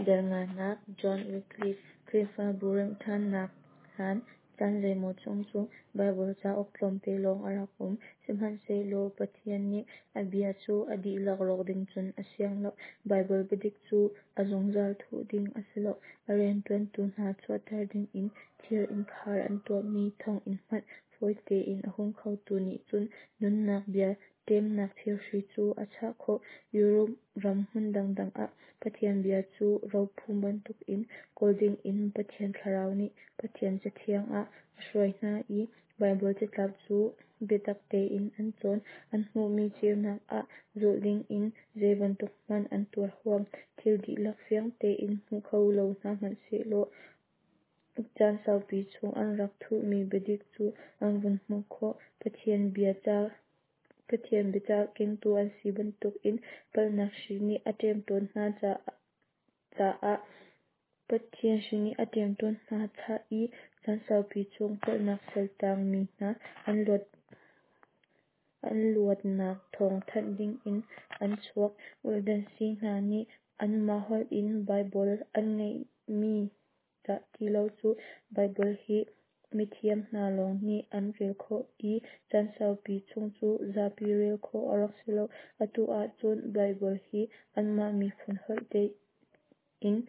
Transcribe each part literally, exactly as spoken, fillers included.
Dal nganak John Wycliffe Khrihfabu remhṭhannak hlan caan zeimaw chung cu Baibal cauk tlawmte lawng a rak um. Sihmanhsehlaw Pathian nih a bia cu a dihlak rawk ding cun a siang lo. Baibal biadik cu a zungzal thuh ding a si lo. A rianṭuantu hna chuahter dingin thir innkhar an tuahmi thonginn hmanh fawi tein a hung khotu nih cun nunnak bia ṭemnak thirhri cu a chah khawh. Europe ram hmun dangdang ah Pathian bia cu rophum bantukin kawl dingin Pathian Thlarau nih Pathian Cathiang ah a hruai hna i Baibal catlap cu biatak tein an cawn. An hmuhmi ceunak ah zulh dingin zeibantuk hmanh an tuar huam. Thil dihlak fiang tein hmu kho lo hna hmanh sehlaw caan saupi chung an rak thuhmi biadik cu an vun hmuh khawh. Pathian bia ca Pathian biacah kengtu an si bantukin palhnak hri nih a ṭemṭawn hna caah Pathian hri nih a ṭemṭawn hna i caan saupi chung palhnak saltang mi hna an luat an luatnak thawng thanh dingin an chuak. Waldensi hna nih anmah holh in Baibal an ngeihmi dah ti lo cu Baibal hi mithiam hna lawng nih an rel khawh i caan saupi chung cu zapi rel khawh a rak si lo. Atu ahcun Baibal hi anmah miphun holh tein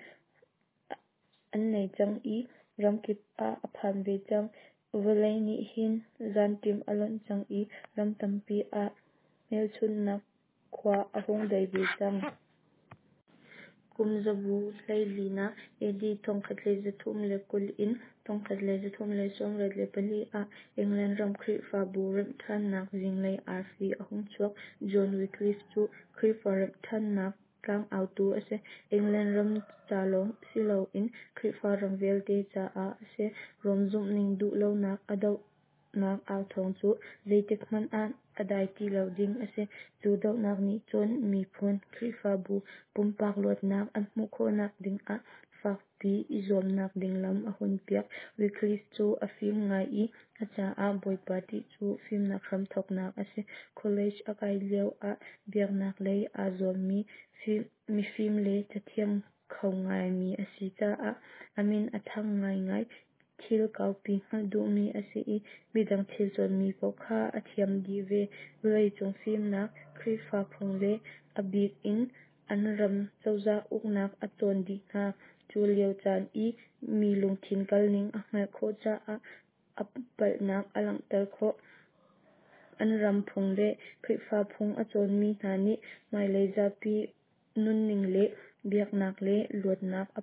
an nei cang i ramkip ah a phan ve cang. Vawlei nih hin zanṭim a lonh cang i ram tampi ah hmelchunhnak khua a hung dei ve cang. Kum zabu hleilinak A D thongkhat le zathum le kul in thongkhat le zathum le sawmriat le pali ah England ram Khrihfabu remhṭhannak zinglei arfi a hung chuak. John Wycliffe cu Khrihfa remhṭhannak tlangautu a si. England ram ca lawng si loin Khrihfa ram vialte caah a si. Rom zumhning duh lonak a dohnak authawng cu zeitik hmanh ah a dai ti lo ding a si. Cu dohnak nih cun miphun, Khrihfabu, pumpak luatnak an hmuh khawhnak dingah fakpi i zuamnak ding lam a hunpiak. Wycliffe cu a fim ngai i a caah Bawipa ṭih cu fimnak hramthawknak a si. College a kai lio ah biaknak lei aa zuammi mifim le cathiam kho ngaimi a si caah a min a thang ngaingai. Thil kaupi hngalh duhmi a si i midang thil cawnmi paoh kha a thiam dih ve. Vawleicung fimnak, Khrihfa phung le a bik in an ram cozah uknak a cawn dih hna. Cu lio caan i mi lungthin kalning a hngalh khawh caah a palhnak a langhter khawh. An ram phung le Khrihfa phung a cawnmi hna nih hmailei zapi nunning le biaknak le luatnak a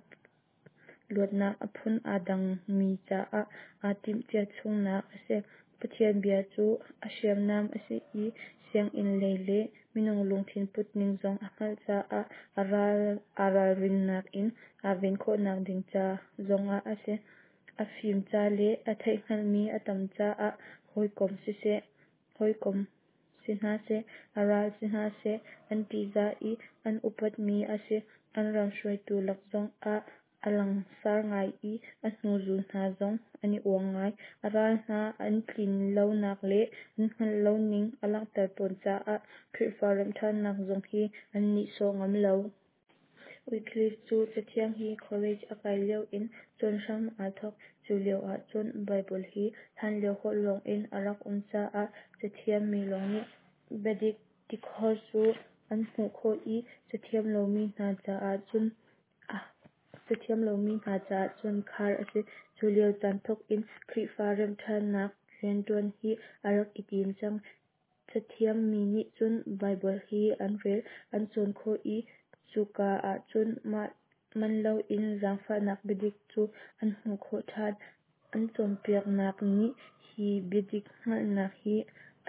luatnak a phun aa dangmi caah aa timhcia chungnak a si. Pathian bia cu a hriamnam a si i sianginn lei le minung lungthin putning zong a hngalh caah aa ral aa ralrinnak in aa ven khawhnak ding ca zongah a si. A fim ca le a theihhngalhmi a tam caah hawikom siseh, hawikom si hna seh, a ral si hna seh, an ṭihzah i an upatmi a si. An ram hruaitu lak zongah a langsar ngai i a hnuzul hna zong an i uang ngai. A ral hna an tlin lonak le an hngalh loning a langhter tawn caah Khrihfa remhṭhannak zong hi an nihsawh ngam lo. Wycliffe cu Cathiang hi college a kai lio in cawn hram aa thawk. Cu lio ahcun Baibal hi hlanlio holh lawngin a rak um caah cathiam mi lawng nih biadik tikhor cu an hmuh khawh i cathiam lomi hna caah cun cathiam lomi hna caah cun khar a si. Cu lio caan thawk in Khrihfa remhṭhannak rianṭuan hi a rak i tim cang. Cathiam mi nih cun Baibal hi an rel, an cawn khawh i cuka ahcun man loin zaangfahnak biadik cu an hmuh khawh ṭhan. An cawnpiaknak nih hi biadik hngalhnak hi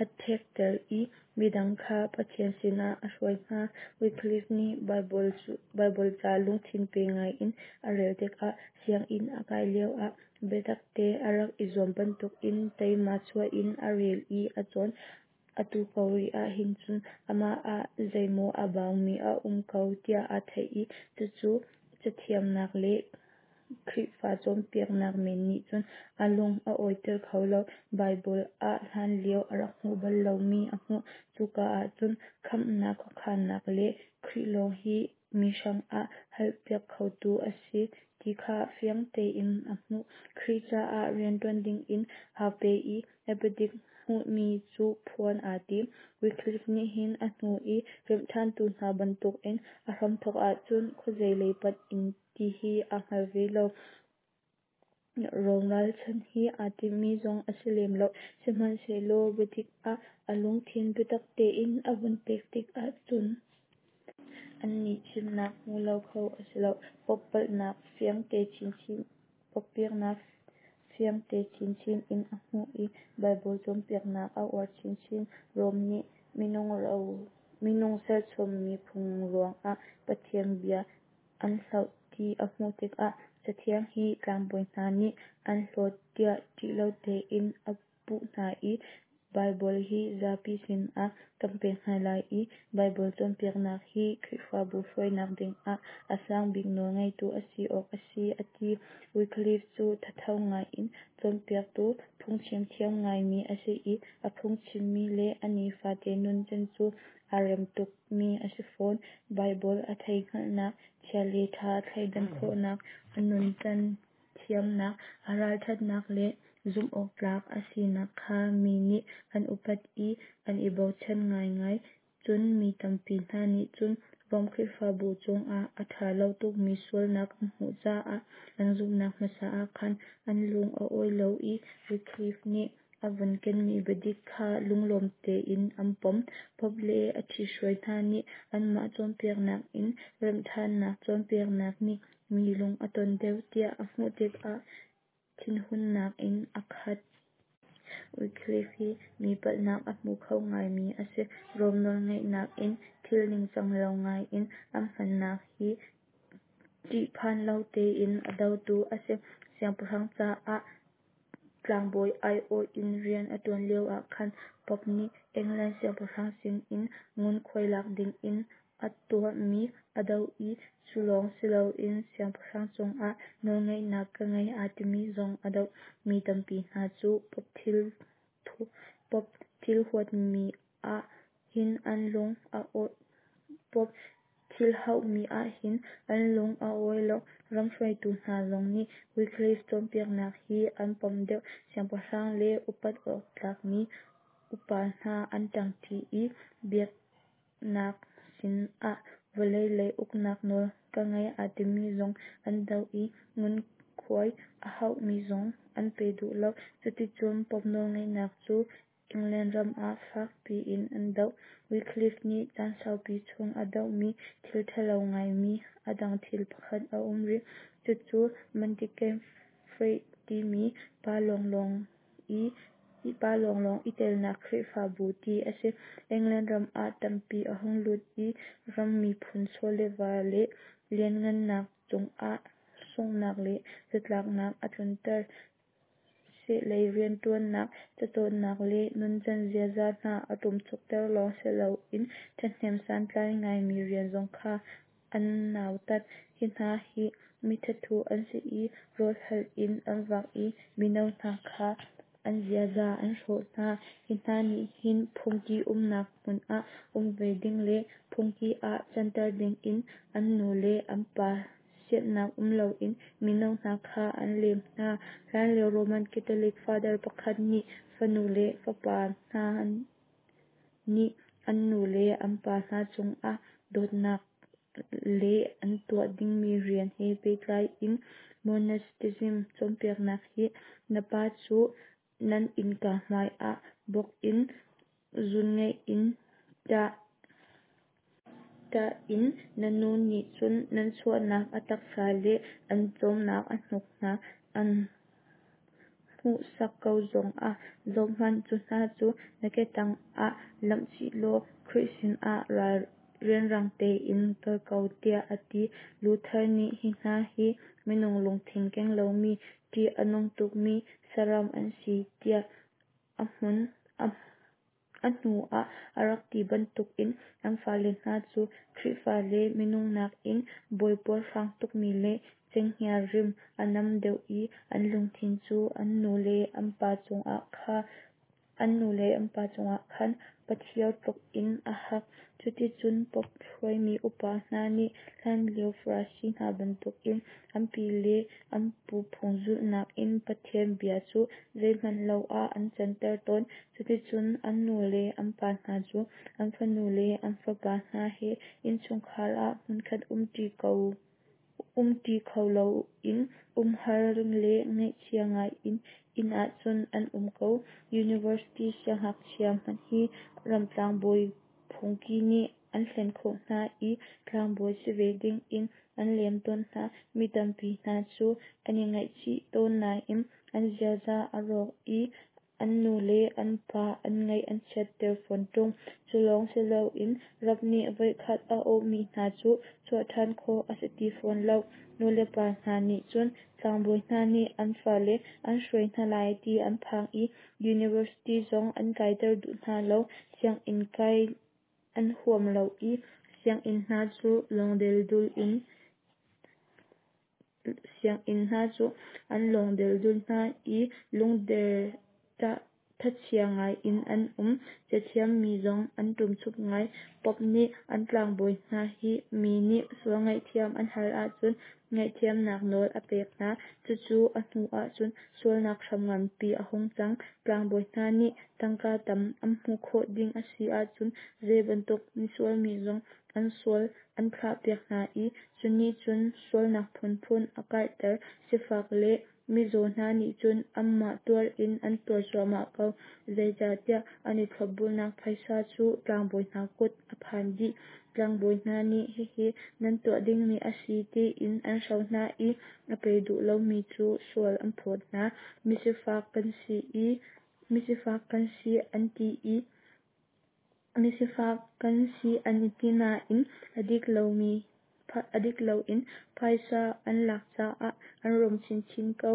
a thekter i midang kha Pathian sinah a hruai hna. Wycliffe nih Baibal cu Baibal ca lungthin pe ngaiin a rel tikah sianginn a kai lioah biatakte a rak i zuam bantukin teima chuah in a rel i a cawn. Atu ko rih ahhin cun amah ah zeimaw a baumi a um ko tiah aa theih i cucu cathiamnak le Khrihfa cawnpiaknak men nih cun a lung a awiter kho lo. Baibal ah hlanlio a rak hmuh bal lomi a hmuh. Cuka ahcun khamhnak khuakhannak le Khrih lawng hi mi hrangah halpiak khotu a si ti kha fiang tein a hmuh. Khrih caah rianṭuan dingin aa pe i a biadik hmuhmi cu phuan aa tim. Wycliffe nih hin a hnu i remhṭhantu hna bantukin a hramthawk ahcun khuazei lei panh in ti hi aa hngal ve lo. Rom ralchanh hi aa timmi zong a si lem lo. Sihmanhsehlaw biadik ah a lungthin biatak tein a vun pek tikah cun annih chimnak hmu lo kho a si lo. Pope palhnak fiang te chinchin Pope biaknak fiangte chinchin in a hmuh i Baibal cawnpiaknak a uar chinchin. Rom nih minung serchommi phung ruangah Pathian bia an hloh ti a hmuh tikah Cathiang hi tlangbawi hna nih an hlawt tiah ṭih lo tein a puh hna i Baibal hi zapi sinah kan pek hna lai i Baibal cawnpiaknak hi Khrihfabu hruainak dingah a sangbik nawl ngeitu a si awk a si a ti. Wycliffe cu thatho ngaiin cawnpiaktu, phungchim thiam ngaimi a si i a phungchimmi le a nifate nuncan cu aa rem tukmi a si fawn. Baibal a theihhngalhnak, chia le ṭha thleidan khawhnak, a nuncan thiamnak, a ralṭhatnak le zumhawktlak a sinak kha mi nih an upat i an i bochan ngaingai. Cun mi tampi hna nih cun Rom Khrihfabu chungah a ṭha lo tukmi sualnak an hmuh caah an zumhnak hmasa ah khan an lung a awi lo i Wycliffe nih a vun kenmi biadik kha lunglawm tein an pom. Pope le a ṭhithruai hna nih anmah cawnpiaknak in remhṭhannak cawnpiaknak nih mi lung a ton deuh tiah a hmuh tikah thinhunnak in a khat. Wycliffe hi mi palhnak a hmu kho ngaimi a si. Rom nawlngeihnak in thil ningcang lo ngaiin an hmannak hi ṭihphan lo tein a dotu a si. Siangpahrang caah tlangbawi aiawh in rian a ṭuan lioah khan Pope nih England siangpahrang sinin ngunkhuai lak dingin a tuahmi a doh i cu lawng si loin siangpahrang cungah nawlngeihnak ka ngei aa timi zong a doh. Mi tampi hna cu Pope thil huatmi ah hin an lung a Pope thil hauhmi ah hin an lung a awi lo. Ram hruaitu hna zong nih Wycliffe cawnpiaknak hi an pom deuh. Siangpahrang le upat awk tlakmi upa hna an ṭangṭi i biaknak sinah vawlei lei uknak nawl ka ngei aa timi zong an doh i ngunkhuai a hauhmi zong an pe duh lo. Cuticun Pope nawlngeihnak cu England ram ah fak piin an doh. Wycliffe nih caan saupi chung a dohmi thil ṭhalo ngaimi a dang thil pakhat a um rih. Cucu Mendicant Faith timi pa lawnglawng i pa lawnglawng i telnak Khrihfabu ti a si. England ram ah tampi a hung lut i ram miphun chaw le va le lianhngannak cungah sunghnak le zatlaknak a tlunter. Sehlei rianṭuannak, cacawnnak le nuncan ziaza hna a ṭumchukter lawng si loin ṭhahnem santlai ngaimi rian zong kha an nautat. Hi hna hi mithathu an si i rawlhal in an vak i mino hna kha an ziaza an hrawh hna. Hi hna nih hin phungki umnak hmun ah um ve ding le phungki ah canter dingin an nu le an pa siannak um loin mino hna kha an lem hna. Hlanlio Roman Catholic Father pakhat nih fanu le fapa hna nih an nu le an pa hna cungah dawtnak le an tuah dingmi rian he pehtlai in monasticism cawnpiaknak hi na pa cu nan innka hmai ah bawk in zunngaih in ṭah in na nu nih cun nan chuahnak a taksa le an cawmnak a hnuk hna an hmuhsak ko zongah zohhmanh, cu hna cu na ke tangah lamh chih law Khrih sinah rianrang tein kal ko tiah a ti. Luther nih hi hna hi minung lungthin keng lomi, ṭih a nung tukmi saram an si tiah a hmun a hnu ah a rak ti bantukin an fale hna cu Khrihfa le minung nakin bawi puarhrang tukmi le cenghngia rim a nam deuh i an lungthin cu an nu le an pa cungah khan an nu le an pa cungah khan pathio tluk in a hak. Cuticun Pope hruaimi upa hna nih hlanlio Farasi hna bantukin an pi le an pu phung zulhnak in Pathian bia cu zeihmanh lo ah an canter tawn. Cuticun an nu le an pa hna cu an fanu le an fapa hna he innchungkhar ah hmunkhat umṭi kho loin umhar le ngaihchia ngai in inn ahcun an um ko. University siangngakchia hmanh hi ramtlangbawi phungki nih an hlen khawh hna i tlangbawi si ve dingin an lem tawn hna. Mi tampi hna cu an i ngaihchih tawn nain an ziaza a rawk i an nu le an pa an ngaih an chiatter fawn ṭung. Cu lawng si loin rap nih voikhat a awhmi hna cu chuah ṭhan khawh a si ti fawn lo. Nulepa hna nih cun tlangbawi hna nih an fale an hruai hna lai ti an phang i university zong an kaiter duh hna lo. Sianginn kai an huam lo i sianginn hna cu lawng deldul in sianginn hna cu an lawng deldul hna i lungder thachia ngai in an um. Cathiam mi zong an ṭumchuk ngai. Pope nih an tlangbawi hna hi mi nih sual ngaihthiam an hal ahcun ngaihthiamnak nawl a pek hna. Cucu a hnu ahcun sualnak hram nganpi a hung cang. Tlangbawi hna nih tangka tam an hmuh khawh ding a si ahcun zei bantuk misual mi zong an sual an thlahpiak hna i cu nih cun sualnak phunphun a karhter. Sifak le mizaw hna nih cun anmah tuar in an tuar cuahmah ko. Zeicahtiah an i thlopbulnak phaisa cu tlangbawi hna kut a phan dih. Tlangbawi hna nih hihi nan tuah dingmi a si tiin an hro hna i a pe duh lomi cu sual an phawt hna. Misifak kan si i misifak kan si an ti i misifak kan si an i ti nain a dik lomi a dik loin phaisa an lak caah an rum chinchin ko.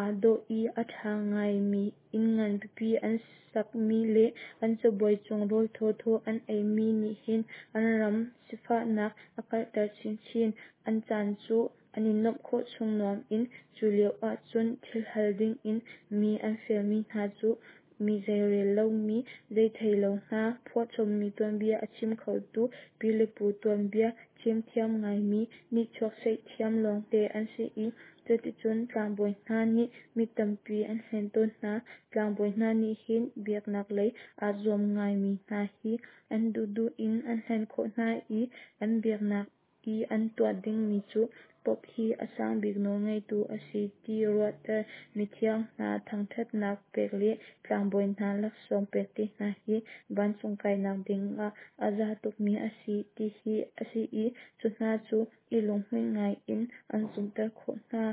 Aa dawh i a ṭha ngaimi inn ngan pipi an sakmi le an cabuai cung rawl thawthaw an eimi nih hin an ram sifahnak a karhter chinchin. An caan cu an i nuamh khawh chung nuam in cu lio ahcun thil hal dingin mi an fialmi hna cu mi zeirel lomi, zei thei lo hna, phuahchommi tuanbia a chim khotu pi le pu tuanbia chimthiam ngaimi nihchuak seihthiam lawngte an si i cuticun tlangbawi hna nih mi tampi an hlen tawn hna. Tlangbawi hna nih hin biaknak lei aa zuam ngaimi hna hi an duhduh in an hlen khawh hna i an biaknak i an tuah dingmi cu Pope hi a sangbik nawlngeitu a si ti ruahter, mithiang hna thangṭhatnak pek le tlangbawi hna laksawng pek te hna hi vancung kainak dingah a za tukmi a si ti hi a si i cu hna cu i lunghmuih ngai in an zumhter khawh hna.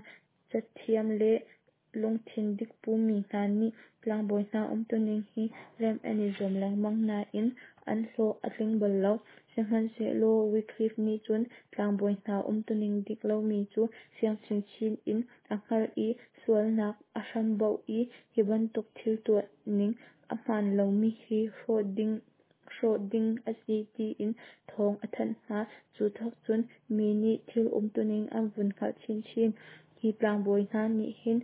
Cathiam le lungthin dik pumi hna nih tlangbawi hna umtuning hi remh an i zuam lengmang nain an hlawh a tling bal lo. Sihmanhsehlaw Wycliffe nih cun tlangbawi hna umtuning dik lomi cu fiang chinchin in a hngalh i sualnak a hramboh i hi bantuk thil tuah ning a hmaan lomi hi hrawh ding hrawh ding a si tiin thawng a thanh hna. Cu thawk cun mi nih thil umtuning an vun hngalh chinchin. Hi tlangbawi hna nih hin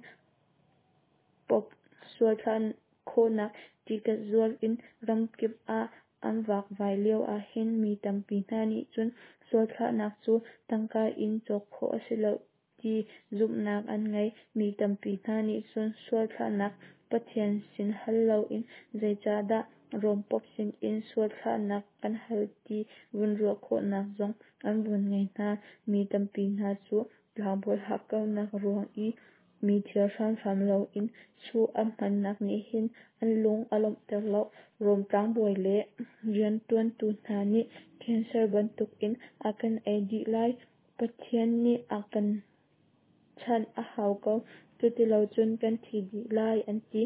Pope sual thlah khawhnak tiket zuar in ramkip ah an vakvai lio ahhin mi tampi hna nih cun sual thlahnak cu tangka in cawk khawh a si lo ti zumhnak an ngei. Mi tampi hna nih cun sual thlahnak Pathian sin hal loin zeicahdah Rom Pope sinin sual thlahnak kan hal ti vun ruah khawhnak zong an vun ngei hna. Mi tampi hna cu tlangbawi hakkauhnak ruang i mi thil hramhram loin chuh an hmannak nih hin an lung a lawmhter lo. Rom tlangbawi le rianṭuantu hna nih cancer bantukin a kan ei dih lai. Pathian nih a kan chanh a hau ko. Cutilocun kan thi dih lai an ti.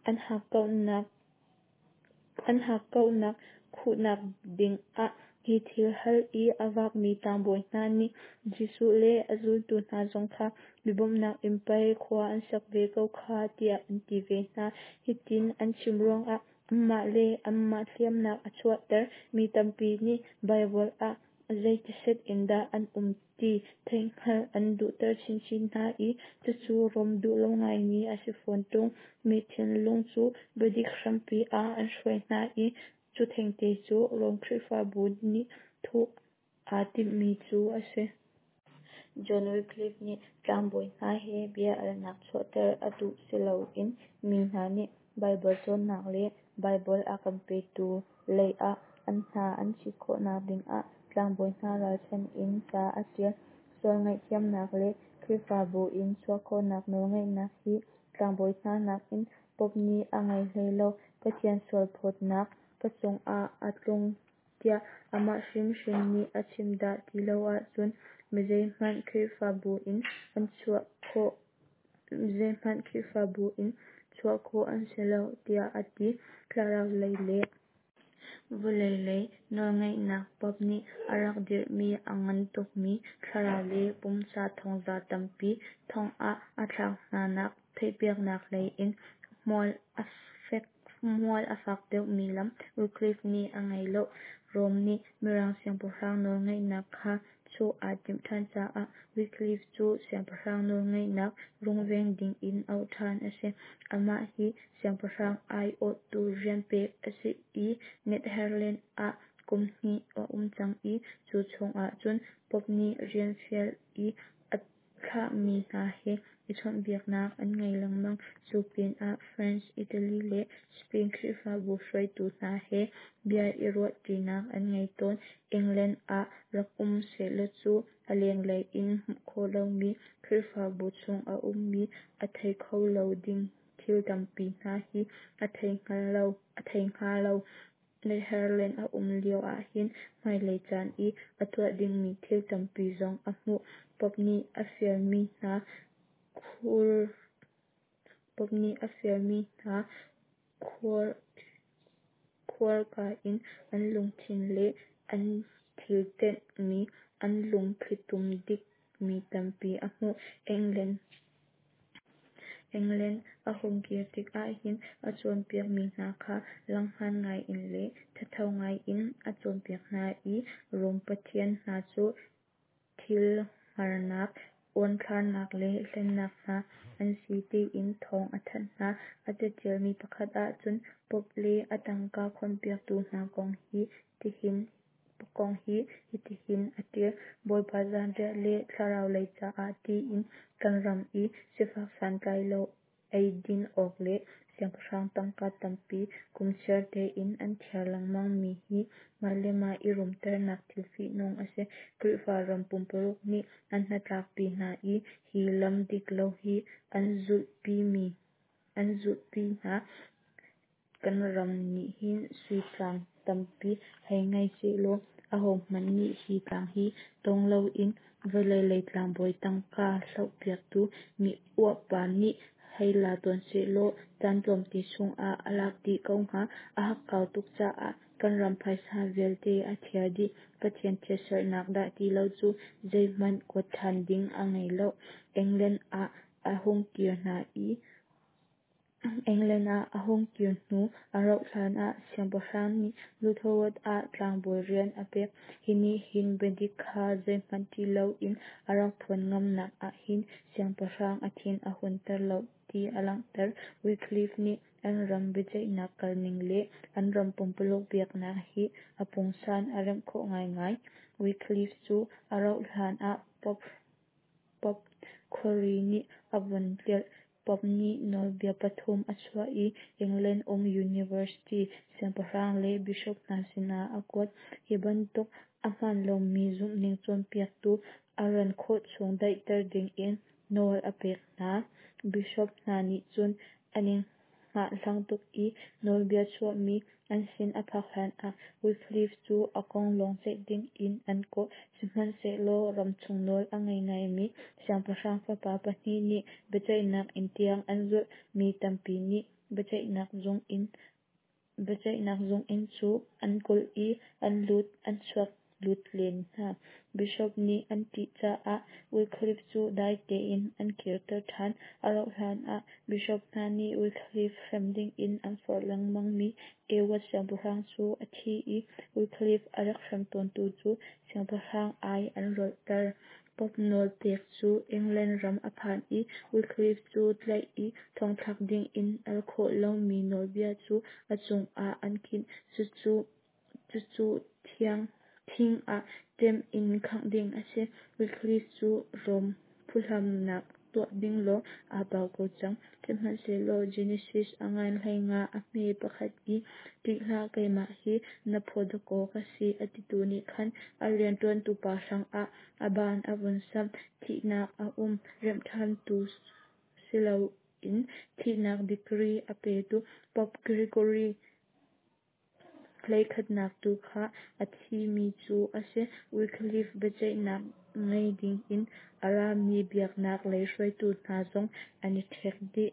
An hakkauhnak an hakkauhnak khuhnak dingah hi thil hal i a vakmi tlangbawi hna nih Jesuh le a zultu hna zong kha mi bawmhnak in pei khua an sak ve ko kha tiah an ti ve hna. Hitin an chim ruangah anmah le anmah hliamnak a chuahter. Mi tampi nih Baibal ah zeitiset in dah an um ti theihhngalh an duhter chinchin hna i cucu Rom duh lo ngaimi a si fawn ṭung. Mi thinlung cu biadik hrampi ah an hruai hna i Cu thengte cu Rom Khrihfabu nih thuh aa timhmi cu a si. John Wycliffe nih tlangbawi hna he bia alnak chuahter a duh siloin mi hna nih Baibal cawnnak le Baibal a kan petu lei ah an hna an chit khawhnak dingah tlangbawi hna ralchanh in ca a ṭial. Sual ngaihthiamnak le Khrihfabu in chuah khawhnak nawlngeihnak hi tlangbawi hna nakin Pope nih a ngei hlei lo. Pathian sualphawtnak ka cungah a tlung tiah amah hrimhrim nih a chim dah ti lo ahcun mizeihmanh Khrihfabu in an chuah khawh zeihmanh Khrihfabu in chuah khawh an si lo tiah a ti. Thlarau lei le vawlei lei nawlngeihnak Pope nih a rak dirhmi a ngan tukmi thlarau le pumsa thongza tampi thong ah a thlak hnanak theihpiaknak hlei in hmual a fek hmual a fak deuhmi lam Wycliffe nih a ngei lo. Rom nih Mirang siangpahrang nawlngeihnak kha chuh aa timh ṭhan caah Wycliffe cu siangpahrang nawlngeihnak rungveng dingin auh ṭhan a si. Amah hi siangpahrang aiawhtu rian pek a si i Netherlands ah kum hnih a um cang i cu chungah cun Pope nih rian fial i a thlahmi hna he i chawnhbiaknak an ngei lengmang. Cu pinah France, Italy le Spain Khrihfabu hruaitu hna he bia i ruahṭinak an ngei tawn. England ah rak um sehlaw cu a lenglei in hmuh khawh lomi Khrihfabu chung a ummi a thei kho lo ding thil tampi hna hi a thei a thei hnga lo. Netherlands a um lio ahhin hmailei caan i a tuah dingmi thil tampi zong a hmuh. Pope nih a fialmi hna khur Pope nih a fialmi hna khuar khuarka in an lungthin le an thil tenhmi an lungthlitum dikmi tampi a hmuh. England England a hung kir tik ahhin a cawnpiakmi hna kha langhngan ngaiin le thatho ngaiin a cawnpiak hna i Rom pathian hna cu thil hngarnak, uanthlarnak le hlennak hna an si tiin thawng a thanh hna. A caṭialmi pakhat ahcun Pope le a tangka khonpiaktu hna kong hi tihin kong hi hitihin a ṭial. Bawipa zanriah le thlarau lei caah tiin kan ram i sifak santlailo eidin awk le siangpahrang tangka tampi kum chiar tein an thiar lengmangmi hi mah le mah i rumternak thil fihnung a si. Khrihfa ram pumpuluk nih an hnatlakpi hna i hi lam dik lo hi an zulhpimi an zulhpi hna. Kan ram nih hin sui tlang tampi hei ngei sehlaw ahohmanh nih hi tlang hi tawng loin vawlei lei tlangbawi tangka hlohpiaktu mi uahpa nih hei la tawn sehlaw caan tlawmte chungah a lak dih ko hnga. A hakkau tuk caah kan ram phaisa vialte a thiar dih. Pathian chiatserhnak dah ti lo cu zeihmanh kuat ṭhan ding a ngei lo. England ah a hung kir hna i England ah a hung kir hnu a rauh hlan ah siangpahrang nih Lutherwood ah tlangbawi rian a pek. Hi nih hin biadik kha zeihmanh ṭih loin a rak phuan ngamnak ahhin siangpahrang a thin a hunter lo ti a langhter. Wycliffe nih an ram biaceihnak kalning le an ram pumpuluk biaknak hi a pungsan a remh khawh ngaingai. Wycliffe cu a rauh hlan ah Pope Pope khuari nih a vun tlialh. Pope nih nawlbia pathum a chuah i England um University siangpahrang le bishop hna sinah a kuat. Hi bantuk a hmaan lomi zumhning cawnpiaktu a ran khawh chung daihter dingin nawl a pek hna. Bishop hna nih cun an i hngahhlang tuk i nawlbia chuahmi an sin a phak hlanah Wycliffe cu a kong lawng ceih dingin an kawh. Sihmanhsehlaw ramchung nawl a ngei ngaimi siangpahrang fapa pahnih nih biaceihnak inn tiang an zulh. Mi tampi nih biaceihnak zung in biaceihnak zung inn cu an kulh i an lut an chuak lut len hna. Bishop nih an ṭih caah Wycliffe cu dai tein an kirter ṭhan. A rauh hlan ah bishop hna nih Wycliffe hrem dingin an forh lengmangmi Edward siangpahrang cu a thi i Wycliffe a rak hrem tawntu cu siangpahrang ai an rolhter. Pope nawl pek cu England ram a phan i Wycliffe cu tlaih i thongthlak dingin al khawh lomi nawlbia cu a cungah an khinh. Cucu cucu thing ah ṭem in khangh ding a si. Wycliffe cu Rom phuhlamnak tuah ding lawng aa bau ko cang. Sihmanhsehlaw Genesis a ngan hleinga a hme pakhat i "Ṭih hlah, keimah hi na phaw dakaw ka si," a titu nih khan a rianṭuantu pa hrangah a ban a vun samh. Thihnak a um. Remhṭhantu siloin thihnak degree a petu Pope Gregory hleikhatnak tu kha a thimi cu a si. Wycliffe biaceihnak ngai dingin a rami biaknak lei hruaitu hna zong an i ṭhek dih.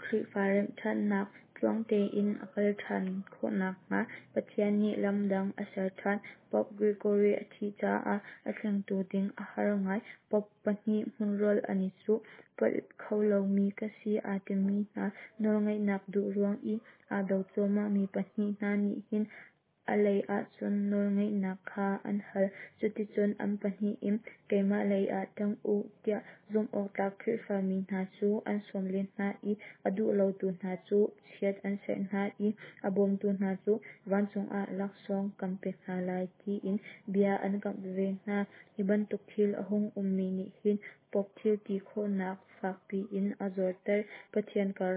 Khrihfa remhṭhannak tluang tein a kal ṭhan khawhnak hnga Pathian nih lam dang a ser ṭhan. Pope Gregory a thih caah a thlengtu ding a har ngai. Pope pahnih hmunrual an i cuh. Palh kho lomi ka si aa timi hna, nawlngeihnak duh ruang i aa do cuahmahmi pahnih hna nih hin a lei ahcun nawlngeihnak kha an hal. Cuticun an pahnih in keimah lei ah ṭang u tiah zumhawktlak Khrihfami hna cu an sawm len hna i a duh lotu hna cu chiat an serh hna i a bawmtu hna cu vancung ah laksawng kan pek hna lai tiin bia an kamh veve hna. Hi bantuk thil a hung ummi nih hin Pope thil ti khawhnak fak piin a zorter. Pathian kar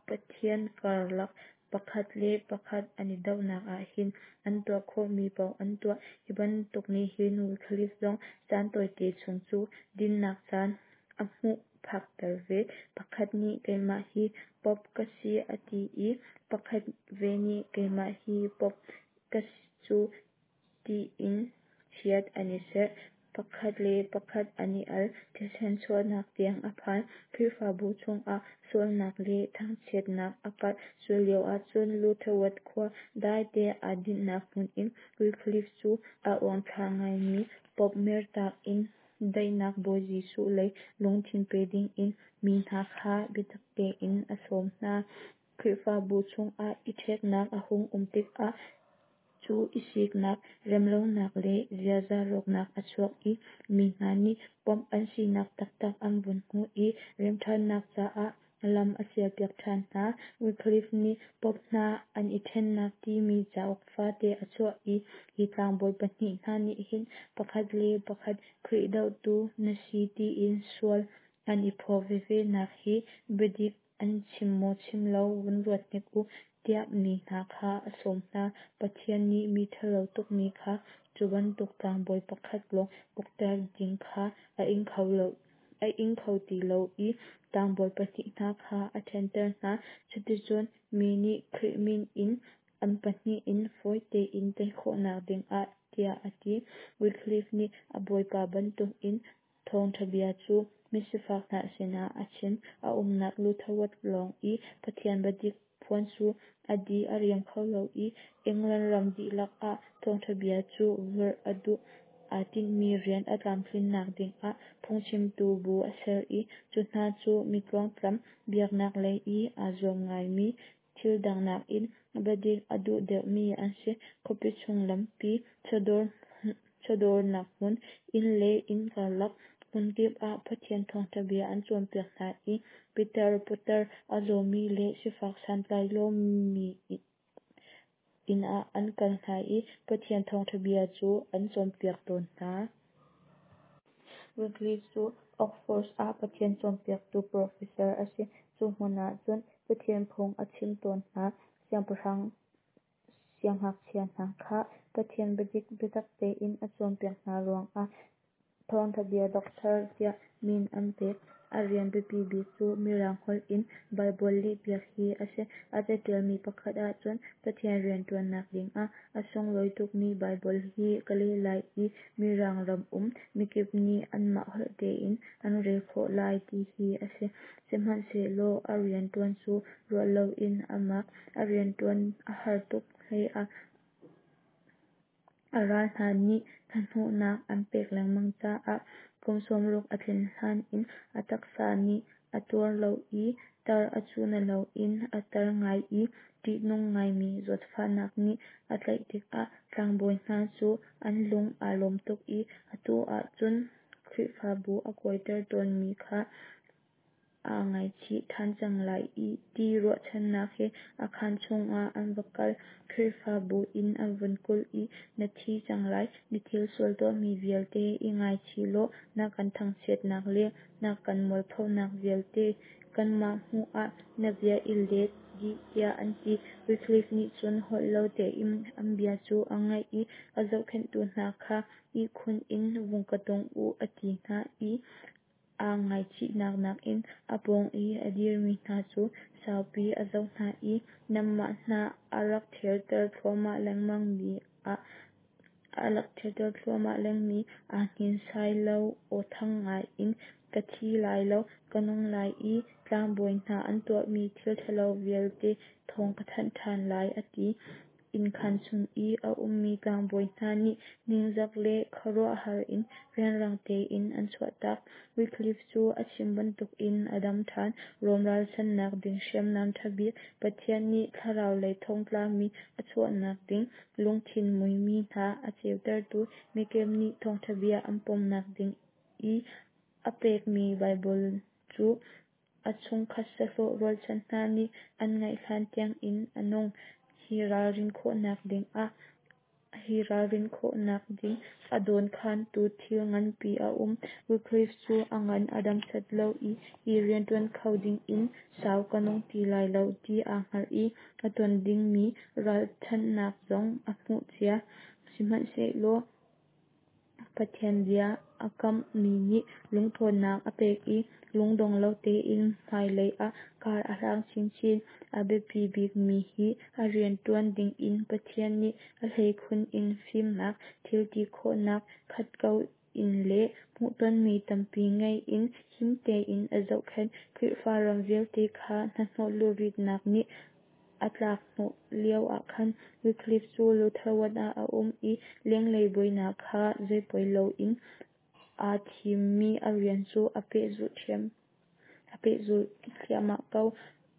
Pathian karlak pakhat le pakhat an i dohnak ahhin an tuah khawhmi paoh an tuah. Hi bantuk nih hin Wycliffe zong caan tawite chung cu dinnak caan a hmuh phakter ve. Pakhat nih keimah hi Pope ka si a ti i pakhat ve nih keimah hi Pope ka si cu tiin chiat an i serh. Pakhat le pakhat an i al, thisen chuahnak tiang a phan. Khrihfabu chungah sualnak le thangchiatnak a karh. Cu lio ahcun Lutherworth khua daite aa dinhnak hmun in Wycliffe cu aa uangthlar ngaimi Pope mertak in daihnak Bawi Jesuh lei lungthin pe dingin mi hna kha biatak tein a sawm hna. Khrihfabu chungah i ṭheknak a hung um tikah cu i siknak, remlonak le ziaza rawknak a chuak i mi hna nih Pope an sinak taktak an vun hmuh i remṭhannak caah lam a sialpiak ṭhan hna. Wycliffe nih Pope hna an i ṭhennak timi cauk fate a chuah i hi tlangbawi pahnih hna nih hin pakhat le pakhat Khrih dohtu na si tiin sual an i phaw veve nak hi biadik an chim maw chim lo vun ruat hnik u tiah mi hna kha a sawm hna. Pathian nih mi ṭhalo tukmi kha cu bantuk tlangbawi pakhat lawng ukter ding kha a ing kho lo a ing kho ti lo i tlangbawi pahnih hna kha a ṭhenter hna. Cuticun mi nih Khrih min in an pahnih in fawi tein tei khawhnak dingah tiah a ti. Wycliffe nih a bawipa bantukin thawngṭha bia cu misifak hna sinah a chim. A umnak Lutherworth lawng i Pathian biadik phuan cu a di a riam kho lo i England ram dihlak ah thawngṭha bia cu vorh a duh. Aa tinhmi rian a tlamtlinnak dingah phungchimtu bu a ser i cu hna cu mi tluangtlam, biaknak lei i aa zuam ngaimi, thil dang nakin biadik a duh deuhmi an si. Khuapi chung lampi, chawdawr chawdawrnak hmun, inn le inn karlak hmunkip ah Pathian thawngṭha bia an cawnpiak hna i pitar putar a zawmi le sifak santlai lomi inn ah an kal hna i Pathian thawngṭha bia cu an cawnpiak tawn hna. Wycliffe cu Oxford ah Pathian cawnpiaktu professor a si. Cu hmun ahcun Pathian phung a chim tawn hna. Siangpahrang siangngakchia hna kha Pathian biadik biatak tein a cawnpiak hna ruangah thawngṭha bia doctor tiah min an pek. A rian biapi bik cu Mirang holh in Baibal lehpiak hi a si. A caṭialmi pakhat ahcun Pathian rianṭuannak dingah a sunglawi tukmi Baibal hi ka leh lai i Mirang ram um mikip nih anmah holh tein an rel khawh lai ti hi a si. Sihmanhsehlaw a rianṭuan cu ruah loin a mak. A rianṭuan a har tuk hleiah a ral hna nih hnahnawhnak an pek lengmang caah kum sawmruk a tlin hlan in a taksa nih a tuar lo i tar a cu na loin a tar ngai i ṭihnung ngaimi zawtfahnak nih a tlaih tikah tlangbawi hna cu an lung aa lawm tuk i atu ahcun Khrihfabu a kuaiter tawnmi kha aa ngaichih ṭhan cang lai ti ruahchannak he a khaan chungah an va kal. Khrihfabu inn an vun kulh i na thi cang lai, na thil sual tuahmi vialte i ngaichih law na kan thangchiatnak le na kan mualphonak vialte kanmah hmuh ah na bia i let dih tiah an ti. Wycliffe nih cun holh lo tein an bia cu a ngaih i a zohkhenhtu hna kha ihkhun in vung ka tong u a ti hna i aa ngaichihnak nakin a pawng i a dirmi hna cu saupi a zoh hna i nanmah hna a rak therter thluahmah lengmangmi a a rak therter thluahmah lengmi aa hninsai lo aw thang ngai in ka thi lai lo ka nung lai i tlangbawi hna an tuahmi thil ṭhalo vialte thawng ka thanh ṭhan lai a ti. Innkhan chung i a ummi tlangbawi hna nih ningzak le khuaruahhar in rianrang tein an chuahtak. Wycliffe cu a chim bantukin a dam ṭhan. Rom ralchanhnak ding hriamnam ṭha bik Pathian nih thlarau lei thongtlami a chuahnak ding lungthin muimi hna a ceutertu mikip nih thawngṭha bia an pomnak ding i a pekmi Baibal cu a chungkhat sahlawh rualchan hna nih an ngaih hlan tiangin a nung. Hi ralrin khawhnak ding ah hi ralrin khawhnak ding a dawnkhantu thil nganpi a um. Wycliffe cu a ngan a dam set lo i hi rianṭuan kho dingin sau ka nung ti lai lo ti aa hngalh i a ton dingmi ralchanhnak zong a hmuh cia. Sihmanhsehlaw Pathian bia a kamhmi nih lungṭhawnnak a pek i lungdong lo tein hmailei ah kar a hlang chinchin. A biapi bikmi hi a rianṭuan dingin Pathian nih a hleikhun in fimnak, thilti khawhnak, khat ko in le hmuhtonmi tampi ngei in him tein a zohkhenh. Khrihfa ram vialte kha hnahnawh luritnak nih a tlak hnawh lio ah khan Wycliffe cu Lutherwood ah a um i lenglei buainak kha zeipoi loin aa thimmi a rian cu a pehzulh ṭhiam a pehzulh thliahmah ko.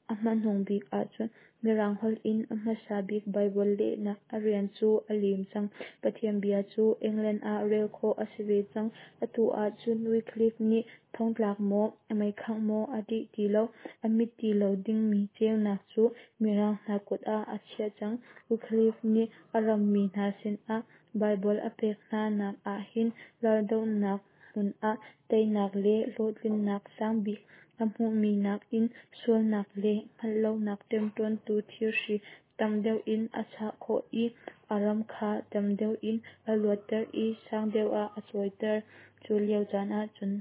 A hmanung bik ahcun Mirang holh in a hmasa bik Baibal lehnak a rian cu a lim cang. Pathian bia cu England ah rel khawh a si ve cang. Atu ahcun Wycliffe nih thongtlak maw, meikhangh maw a ṭih ti lo. A mit ti lo dingmi ceunak cu Mirang hna kut ah a chiah cang. Wycliffe nih a rammi hna sinah Baibal a pek hna nak ahhin raldohnak hmun ah teinak le hlawhtlinnak sangbik a hmuhmi nakin sualnak le hngalhlonak ṭemṭawntu thirhri tam deuh in a chah khawh i a ram kha tam deuh in a luatter i sang deuh ah a cawiter. Cu lio caan ahcun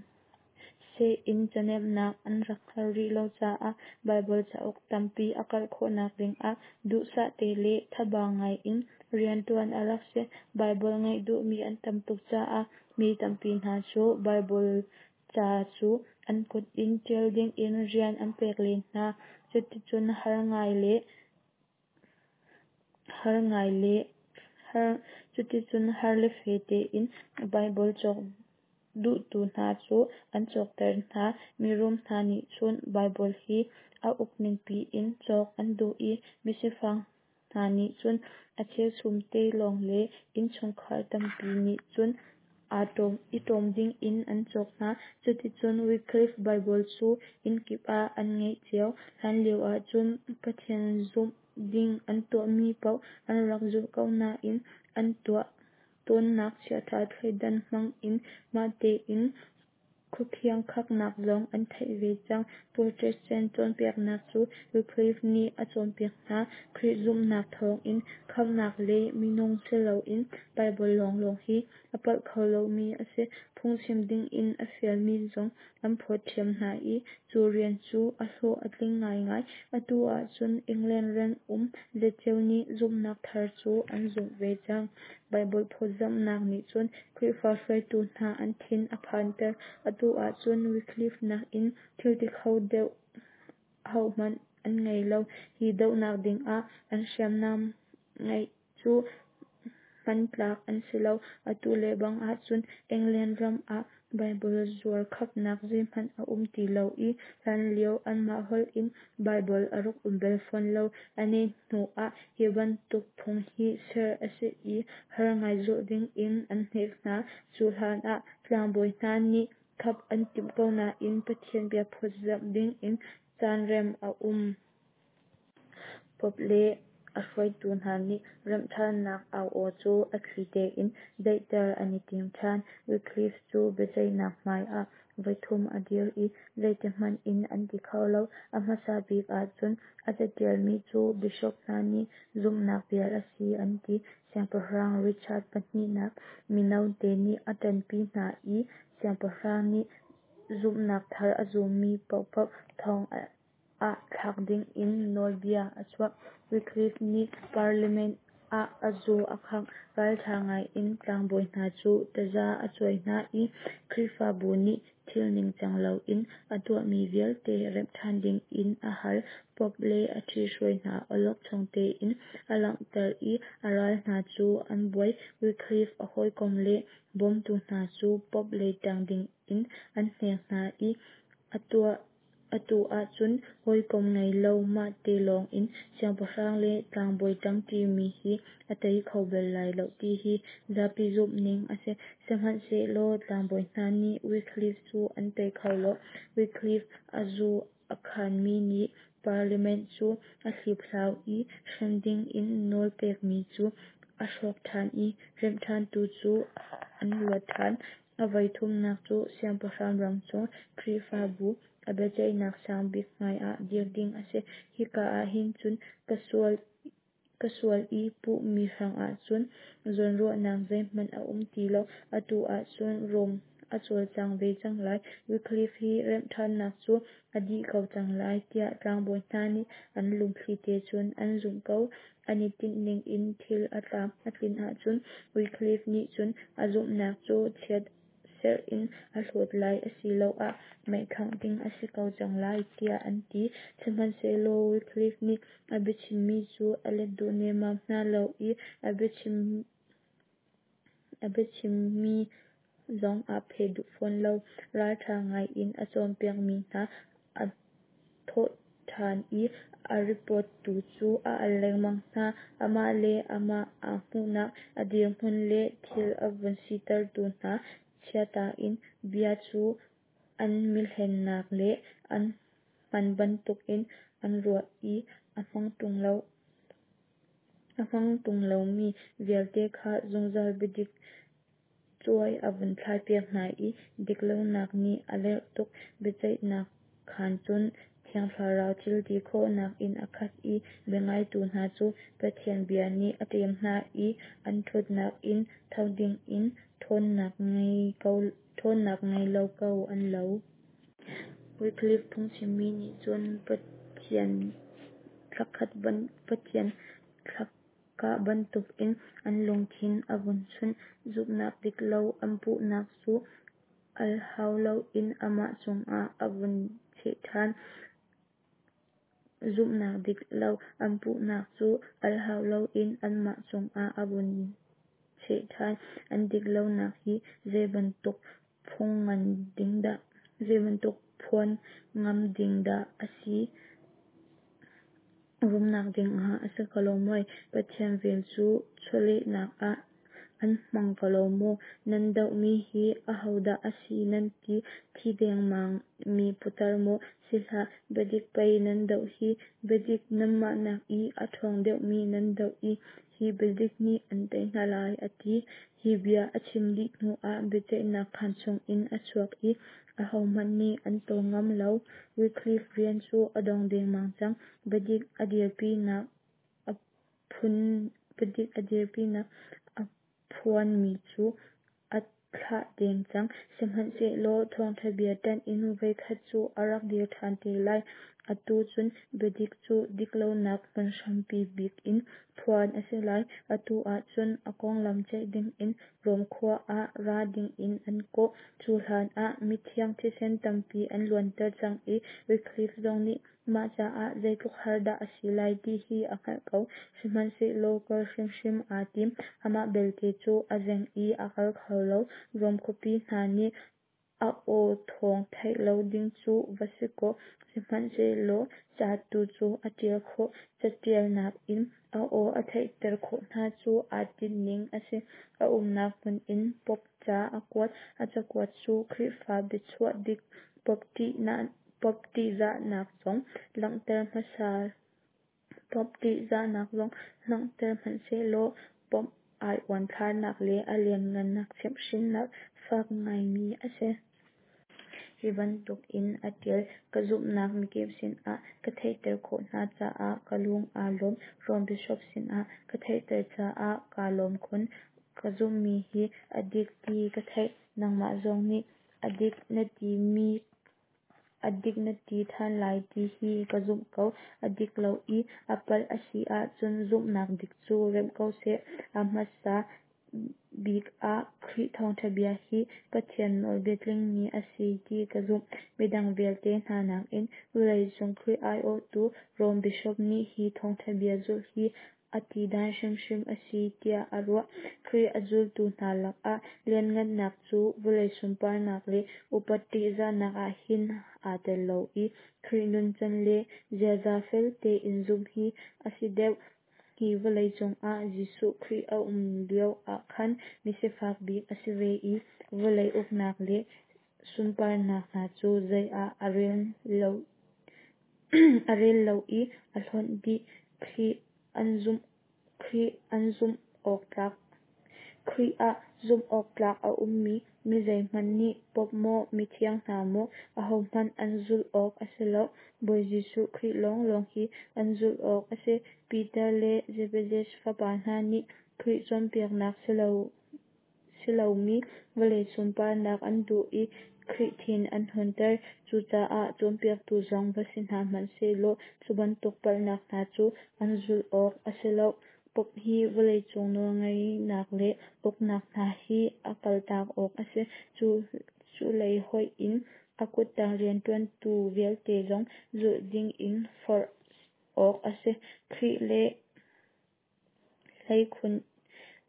seh in canemnak an rak hngalh rih lo caah Baibal cauk tampi a karh khawhnak dingah duhsah te le thaba ngai in rianṭuan a rak si. Baibal ngeih duhmi an tam tuk caah mi tampi hna cu Baibal ca cu an kut in ṭial dingin rian an pek len hna. Cuticun har ngai le har ngai le har cuticun har le fe tein Baibal cawk duhtu hna cu an cawkter hna. Mirum hna nih cun Baibal hi a uk ningpi in cawk an duh i misifak hna nih cun a cheuchum te lawng le innchungkhar tampi nih cun aa ṭawm i ṭawm dingin an cawk hna. Cuticun Wycliffe Baibal cu innkip ah an ngeih cio. Hlanlio ahcun Pathian zumh ding an tuahmi paoh an rak zulh ko nain an tuah tawnnak chiaṭha thleidan hmang in mah tein khuakhiankhaknak zong an theih ve cang. Protestant cawnpiaknak cu Wycliffe nih a cawnpiak hna. Khrih zumhnak thawngin khamhnak le minung si loin Baibal lawnglawng hi a palh kho lomi a si. Phungchim dingin a fialmi zong an phawt ṭhiam hna i cu rian cu a hlawh a tling ngaingai. Atu ahcun England ram um zatceo nih zumhnak thar cu an zumh ve cang. Baibal phawtzamhnak nih cun Khrihfa hruaitu hna an thin a phanter. Atu ahcun Wycliffe nakin thilti kho deuh hohmanh an ngei lo. Hi dohnak dingah an hriamnam ngeih cu hmantlak an si lo. Atu lebang ahcun England ram ah Baibal zuar khapnak zeihmanh a um ti lo i hlanlio anmah holh in Baibal a rak um bal fawn lo. A neh hnu ah hi bantuk phung hi ser a si i har ngai zulh ding in an hnek hna. Cu hlan ah tlangbawi hna nih khap an timh ko nain Pathian bia phawtzamh ding in caan rem a um. Pope le a hruaitu hna nih remhṭhannak au aw cu a thli tein daihter an i tim ṭhan. Wycliffe cu biaceihnak hmai ah voithum a dir i zeitihmanh in an ti kho lo. A hmasa bik ahcun a caṭialmi cu Bishop hna nih zumhnak bia a si an ti. Siangpahrang Richard pahnihnak mino te nih a ṭanpi hna i siangpahrang nih zumhnak thar a zummi paohpaoh thong ah thlak ding in nawlbia a chuah. Wycliffe nih Parliament ah a zu a khangh. Ralṭha ngai in tlangbawi hna cu taza a cuai hna i Khrihfabu nih thil ningcang loin a tuahmi vialte remh ṭhan ding in a hal. Pope le a ṭhihruai hna awlokchong tein a langhter i a ral hna cu an buai. Wycliffe a hawikom le bawmtu hna cu Pope lei ṭang ding in an hnek hna i atu ahcun hawikom ngei lo mahte lawng in siangpahrang le tlangbawi ṭangṭimi hi a tei kho bal lai lo ti hi zapi zumhning a si. Sihmanhsehlaw tlangbawi hna nih Wycliffe cu an tei kho lo. Wycliffe a zu a khanmi nih Parliament cu a hliphlau i hrem ding in nawl pekmi cu a hrawk ṭhan i remhṭhantu cu an luat ṭhan. A voithumnak cu siangpahrang ram chung Khrihfabu a biaceihnak sang bik hmai ah dir ding a si. Hika ah hin cun ka sual ka sual i puhmi hrangah cun zawnruahnak zeihmanh a um ti lo. Atu ahcun Rom a cawlcang ve cang lai. Wycliffe hi remhṭhannak cu a dih ko cang lai tiah tlangbawi hna nih an lungthli te cun an zumh ko. An i tinhning in thil a tlam a tlin ahcun Wycliffe nih cun a zumhnak cu chiat serh in a hlawt lai asiloah meikhangh ding a si ko cang lai tiah an ti. Sihmanhsehlaw Wycliffe nih a biachimmi cu a let duh nemmam hna lo i a biachim a biachimmi zong aa pheh duh fawn lo. Ralṭha ngai in a cawnpiakmi hna a thawh ṭhan i a ripawttu cu a al lengmang hna. Amah le amah aa hmuhnak a dirhmun le thil a vun sitertu hna chiata in bia cu an mihlennak le an hman bantukin an ruah i a hmang ṭung lo. A hmang ṭung lomi vialte kha zungzal biadik cuai a vun thlaipiak hna i diklonak nih a lerh tuk. Biaceihnak khaan cun Thiang Thlarau thil ti khawhnak in a khat i biangaitu hna cu Pathian bia nih a ṭem hna i an ṭhutnak in tho ding in ṭhawnnak ngei ko ṭhawnnak ngei lo ko an lo. Wycliffe phungchimmi nih cun Pathian thlakhat Pathian thlakah bantukin an lungthin a vun chunh. Zumhnak dik lo an puhnak cu al hau loin amah cungah a vun cheh ṭhan. Zumhnak dik lo an puhnak cu al hau loin anmah cungah a vun cheh ṭhan. An dik lonak hi zeibantuk phuan ding dah zeibantuk phuan ngam ding dah a si? Rumnak dingah a si ko lo maw? Pathian vel cu chawlehnak ah an hmang ko lo maw? Nan dohmi hi ahodah a si nan ti? Thi dengmang mi putar maw? Si hlah, biadik pei nan doh hi. Biadik nanmah nak i a ṭhawng deuhmi nan doh i hi biadik nih an tei hna lai, a ti. Hi bia a chim dih hnuah biaceihnak khaan chungin a chuak i ahohmanh nih an tawl ngam lo. Wycliffe rian cu a dong dengmang cang. Biadik a dirpinak a phun biadik a dirpinak a phuanmi cu a thlah deng cang. Sihmanhsehlaw thawngṭha bia ṭanh in voikhat cu a rak dir ṭhan te lai. Atu cun biadik cu diklonak hmun hrampi bik in phuan a si lai. Atu ahcun a konglam ceih dingin Rom khua ah ra dingin an kawh. Cu hlan ah mithiang thisen tampi an luanter cang i Wycliffe zong nih mah caah zeitluk har dah a si lai ti hi a hngalh ko. Sihmanhsehlaw kal hrimhrim aa tim. Amah belte cu a zeng i a kal kho lo. Rom khuapi hna nih A aw thawng theih lo ding cu va si kaw, sihmanhsehlaw ca tu cu a ṭial khawh. Caṭialnak in a aw a theihter khawh hna cu aa tinhning a si. A umnak hmun in Pope ca a kuat. A cakuat cu Khrihfa biachuah dik Pope ṭihzahnak zong langhter Pope ṭihzahnak zong langhter hmanhsehlaw Pope ai uanthlarnak le a lianhngannak chimhhrinnak fak ngaimi a si. Hi bantuk in a ṭial: Ka zumhnak mikip sinah ka theihter khawh hna caah ka lung aa lawm. Rome Bishop sinah ka theihter caah kaa lawm khun. Ka zumhmi hi a dik ti ka theih. Nangmah zong nih a dik na timi a dik na ti ṭhan lai ti hi ka zumh ko. A dik lo i a palh a si ahcun zumhnak dik cu remh ko seh. A hmasa bik ah Khrih thawngṭha bia hi Pathian nawlbia tlingmi a si ti ka zumh. Midang vialte hna nakin vawleicung Khrih aiawhtu Rome Bishop nih hi thawngṭha bia zulh hi a tidan hrimhrim a si tiah a ruah. Khrih a zultu hna lakah lianhngannak cu vawlei sunparnak le upat ṭihzahnak ah hin aa tel lo i Khrih nuncan le ziaza fel tein zumh hi a si deuh. Hi vawleicung ah Jesuh Khrih a um lio ah khan misifak bik a si ve i vawlei uknak le sunparnak hna cu zei ah a rel lo, a rel lo i a hlawnh dih. Khrih an zumh Khrih an zumh awk tlak Khrih ah zumh awk tlak a ummi mi zeihmanh nih Pope maw mithiang hna maw ahohmanh an zulh awk a si lo. Bawi Jesuh Khrih lawnglawng hi an zulh awk a si. Peter le Zebedes fapa hna nih Khrih cawnpiaknak si lo si lomi vawlei sunparnak an duh i Khrih thin an hunter. Cucaah cawnpiaktu zong va si hna hmanh sehlaw cu bantuk palhnak hna cu an zulh awk a si lo. Pope hi vawleicung nawlngeihnak le uknak hna hi a kaltak awk a si. Cu, cu lei hoih in a kuttang rianṭuantu vialte zong zulh ding in forh awk a si. Khrih le hleikhun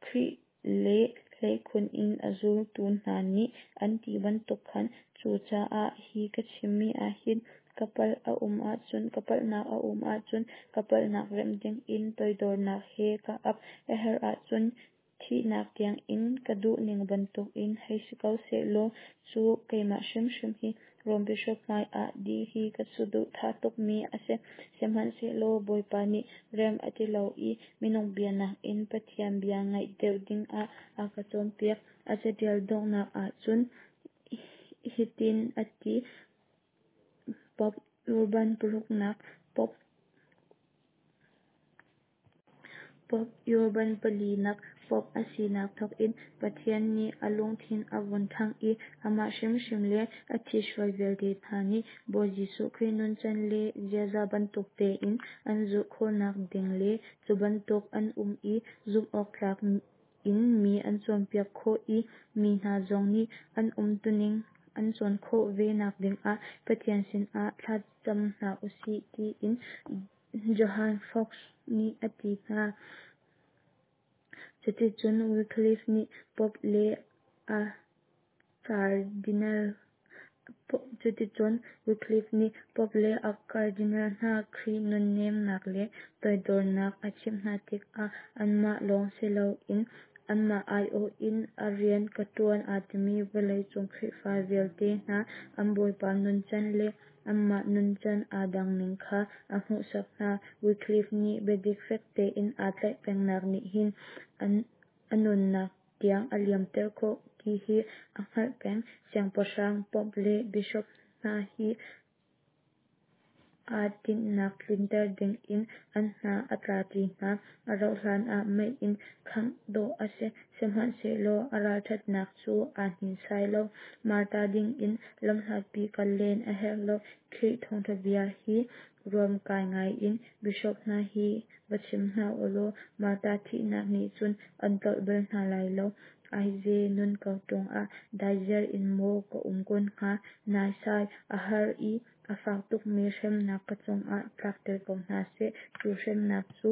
Khrih le hleikhun in a zultu hna nih an ti bantuk khan. Cucaah hi ka chimmi ahhin ka palh a um ahcun ka palhnak a um ahcun ka palhnak remh ding in toidornak he ka ap. A herh ahcun thihnak tiangin ka duhning bantukin hei si ko sehlaw cu keimah hrimhrim hi Rome Bishop hmaiah dir hi ka saduhthah tukmi a si. Sihmanhsehlaw Bawipa nih rem a ti lo i minung bia nakin Pathian bia ngaih deuh dingah a ka cawnpiak. A caṭial donghnak ahcun hitin a ti: Pope Urban paruknak, Pope Pope Urban palinak Pope a sinak thawgin Pathian nih a lungthin a vun ṭhangh i amah hrimhrim le a ṭhithruai vialte hna nih Bawi Jesuh Khrih nuncan le ziaza bantuk tein an zulh khawhnak ding le cu bantuk an um i zumh awk tlak in mi an cawnpiak khawh i mi hna zong nih an umtuning an cawn khawh ve nak dingah Pathian sinah thlacam hna usih tiin Johann Fox nih a ti hna. Cuticun Wycliffe nih Pope le a cardinal Cuticun Wycliffe nih Pope le a cardinal hna Khrih nunnemnak le toidornak a chimh hna tikah anmah lawng si loin anmah aiawh in a rian ka ṭuan aa timi vawleicung Khrihfa vialte hna an Bawipa nuncan le anmah nuncan aa dangning kha a hmuhsak hna. Wycliffe nih biadik fek tein aa tlaih pengnak nih hin a nunnak tiang a liamter khawh ti hi a hngalh peng. Siangpahrang, Pope le Bishop hna hi aa tinhnak tlinter dingin an hna a tlaṭi hna. A rauhhlan ah mei in khangh dawh a si. Sihmanhsehlaw a ralṭhatnak cu aa hninsai lo. Martar dingin lamhlatpi kal len a herh lo. Khrih thawngṭha bia hi ruamkai ngaiin Bishop hna hi va chim hna ulaw martar thihnak nih cun an tlolh bal hna lai lo. Aize nun ko ṭung ah daiziar in maw ka um kun hnga? Naisai, a har i a fak tukmi hremnak ka cungah tlakter ko hna seh. Cu hremnak cu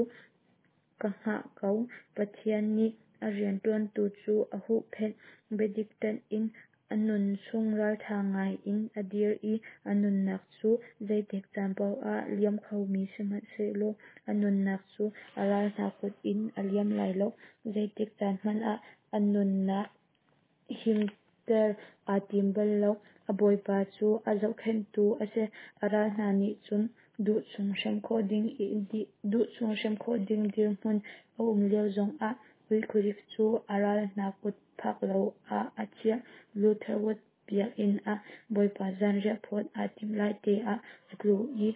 ka hngah ko. Pathian nih a rianṭuantu cu a huhphenh. Biadik ṭanh in A nun chung ralṭha ngai in a dir i a nunnak cu zeitik caan paoh ah liam khomi sihmanhsehlaw a nunnak cu a ral hna kut in a liam lai lo. Zeitik caan hmanh ah a nunnak himter aa tim bal lo. A bawipa cu a zohkhenhtu a si. A ral hna nih cun duh chung hrem khawh ding duh chung hrem khawh ding dirhmun a um lio zongah Wycliffe cu a ral hna kut phak lo ah a chiah. Lutherwood biakinn ah Bawipa zanriah phawt aa timh lai te ah a tlu i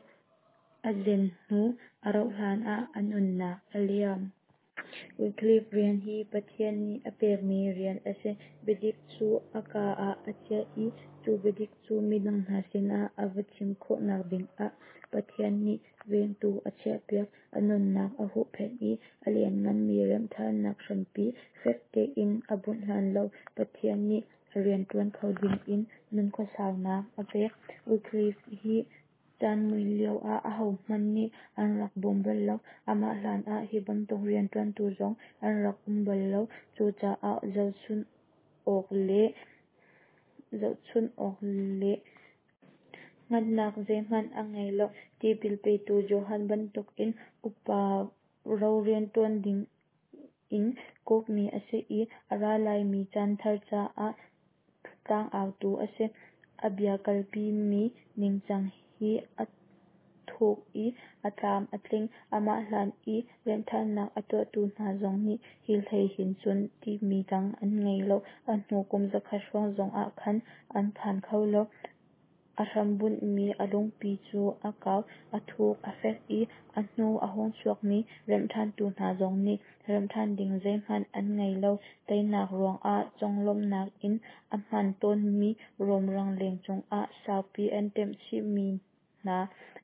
a zen hnu a rauh hlan ah a nunnak a liam. Wycliffe rian hi Pathian nih a pekmi rian a si. Biadik cu a kaa ah a chiah i cu biadik cu midang hna sinah a va chim khawhnak dingah Pathian nih vengtu a chiahpiak. A nunnak a huhphenh i a liannganmi remhṭhannak hrampi fek tein a bunh hlan lo Pathian nih a rian ṭuan kho dingin nunkhua saunak a pek. Wycliffe hi caan mui lioah ahohmanh nih an rak bawm bal lo. Amah hlan ah hi bantuk rianṭuantu zong an rak um bal lo. Cucaah zohchunh awk le zohchunh awk le hngatnak zeihmanh a ngei lo. Tipil petu Johan bantukin upa ro rianṭuan dingin kawhmi a si i a ra laimi chan thar caah tlangautu a si. A bia kalpimi ningcang hi a thuk i a tlam a tling. Amah hlan i remhṭhannak a tuahtu hna zong nih hi hlei hin cun timi dang an ngei lo. A hnu kum zakhat hrawng zongah khan an phan kho lo. A hrambunhmi a lungpi cu a kau, a thuk, a fek i a hnu a hung chuakmi remhṭhantu hna zong nih remhṭhan ding zeihmanh an ngei lo. Teinak ruangah conglawmhnak in a hman tawnmi Rom rangleng cungah saupi an ṭem chihmi hna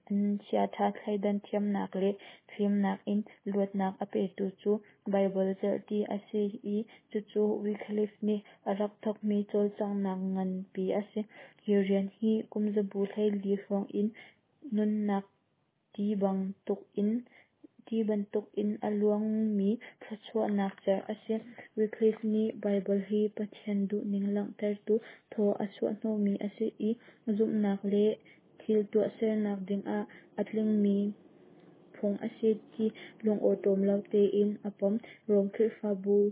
an chiaṭha thleidan thiamnak le fimnak in luatnak a petu cu Baibal cerhti a si i cucu Wycliffe nih a rak thawkmi cawlcanghnak nganpi a si. Hi rian hi kumzabu hleili hrawng in nunnak ti bantukin ti bantukin a luangmi thluachuahnak cerh a si. Wycliffe nih Baibal hi Pathian duhning langhtertu thaw a chuahhnawhmi a si i zumhnak le thil tuahsernak dingah a tlingmi phung a si ti lungawṭawm lo tein a pom. Rom Khrihfabu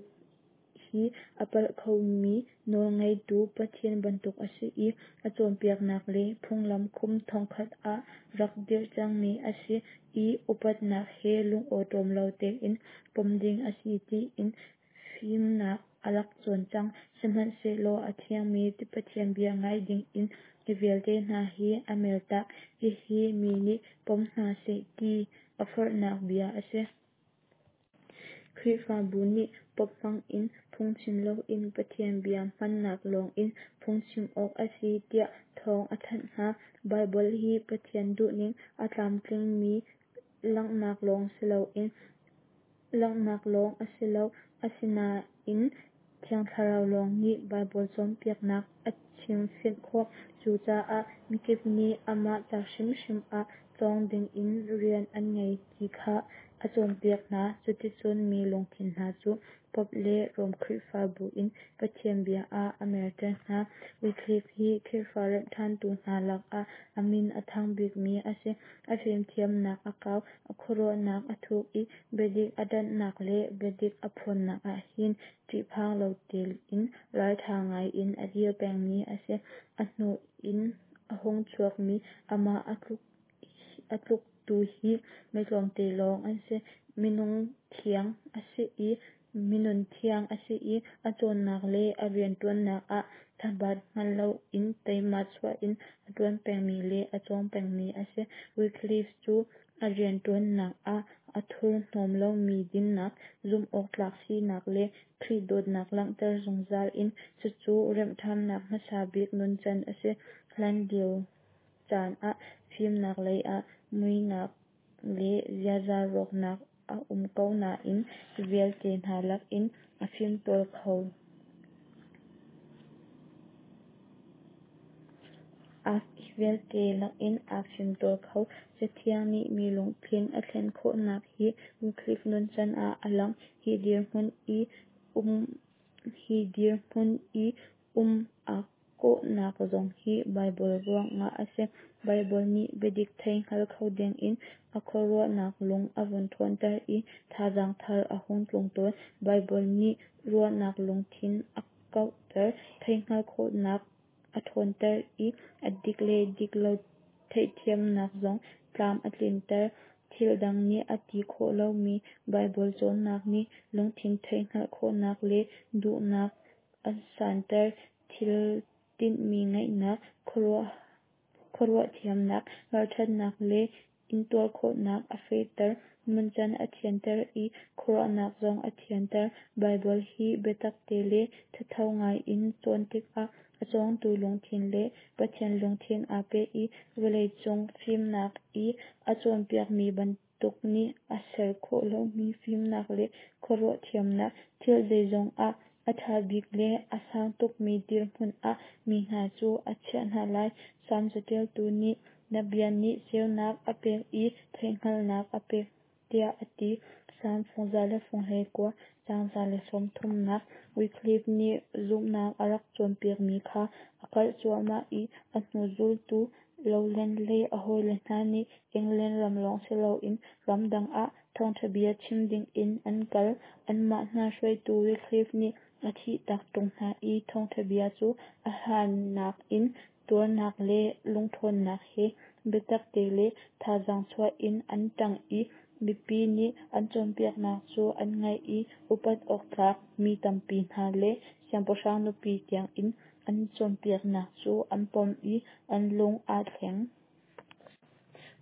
hi a palh khomi nawlngeitu Pathian bantuk a si i a cawnpiaknak le phunglam kum thongkhat ah rak dirh cangmi a si i upatnak he lungawṭawm lo tein pom ding a si tiin fimnak a rak cawn cang. Sihmanhsehlaw a thiangmi Pathian bia ngai dingin hi vialte hna hi a mertak. Hihi mi nih pom hna seh ti a forhnak bia a si. Khrihfabu nih Pope hmangin phungchim loin Pathian bia hmannak lawngin phungchim awk a si tiah thawng a thanh hna. Baibal hi Pathian duhning a tlamtlingmi langhnak lawng si loin langhnak lawng a si lo. Asinain Thiang Thlarau lawng nih Baibal cawnpiaknak a chimfianh khawh. Cucaah mikip nih amah ca hrimhrim ah cawng dingin rian an ngei ti kha a cawnpiak hna. Cuticun mi lungthin hna cu Pope le Rom Khrihfabu in Pathian bia ah a merter hna. Wycliffe hi Khrihfa remhṭhantu hna lakah a min a thang bikmi a si. A fimthiamnak a kau, a khuaruahnak a thuk i biadik a ṭanhnak le biadik a phuannak ahhin ṭihphang lo tein ralṭha ngai in a dir pengmi a si. A hnu in a hung chuakmi amah a tluk a tluktu hi mi tlawmte lawng an si. Minung thiang a si i minun thiang a si i a cawnnak le a rianṭuannak ah thabat hngal loin teima chuah in a ṭuan pengmi le a cawng pengmi a si. Wycliffe cu a rianṭuannak ah a thurhnawm lomi dinnak, zumhawktlak sinak le Khrih dawtnak langhter zungzal in cucu remhṭhannak hmasa bik nuncan a si. Hlanlio caan ah fimnak lei ah muihnak le ziaza rawknak a um ko nain hi vialte hna lakin a fimtawl kho. Hi vialte lakin aa fimtawl kho. Cathiang nih mi lungthin a thlen khawhnak hi Wycliffe nuncan ah a lang. Hi dirhmun i um hi dirhmun i um a kawhnak zong hi Baibal ruangah a si. Baibal nih biadik thei hngal kho dingin a khuaruahnak lung a vun ṭhawnter i thazaang thar a hung tlung tawn. Baibal nih ruahnak lungthin a kauhter, theihhngalh khawhnak a ṭhawnter i a dik le dik lo theihthiamnak zong tlam a tlinter. Thil dang nih a ti khawh lomi Baibal cawnnak nih lungthin theihhngalh khawhnak le duhnak a santer, thil tinhmi ngeihnak, khuaruah thiamnak, ralṭhatnak le intuar khawhnak a fehter, nuncan a thianter i khuaruahnak zong a thianter. Baibal hi biatakte le thatho ngai in cawn tikah a cawngtu lungthin le Pathian lungthin aa peh i vawleicung fimnak i a cawnpiakmi bantuk nih a ser khawh lomi fimnak le khuaruah thiamnak, thil zeizong ah a ṭha bik le a sang tukmi dirhmun ah mi hna cu a chiah hna lai. Salm caṭialtu nih, "Na bia nih ceunak a pek i theihhngalhnak a pek," tiah a ti. Salm fung za le fung hleikua, caang za le sawmthumnak. Wycliffe nih zumhnak a rak cawnpiakmi kha a karh cuahmah i a hnu zultu Lowland le a hawile hna nih England ram lawng si loin ramdang ah thawngṭha bia chim dingin an kal. Anmah hna hruaitu Wycliffe nih a thihtak ṭung hna i thawngṭha bia cu a hlan nakin tuarnak le lungṭhawnnak he biatakte le thazaang chuah in an ṭang i mipi nih an cawnpiaknak cu an ngaih i upat awktlak mi tampi hna le siangpahrang nupi tiangin an cawnpiaknak cu an pom i an lung aa thleng.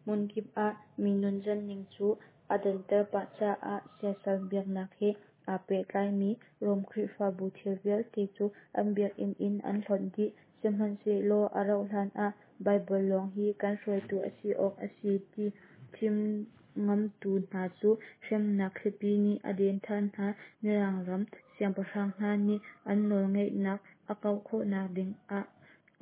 Hmunkip ah mi nuncan ning cu aa danter pah caah siasal biaknak he aa pehtlaimi Rom Khrihfabu thil vialte cu an biakinn in an hlonh dih. Sihmanhsehlaw a rauh hlan ah Baibal lawng hi kan hruaitu a si awk a si ti chim ngamtu hna cu hremnak thlipi nih a den ṭhan hna. Mirang ram siangpahrang hna nih an nawlngeihnak a kauh khawhnak dingah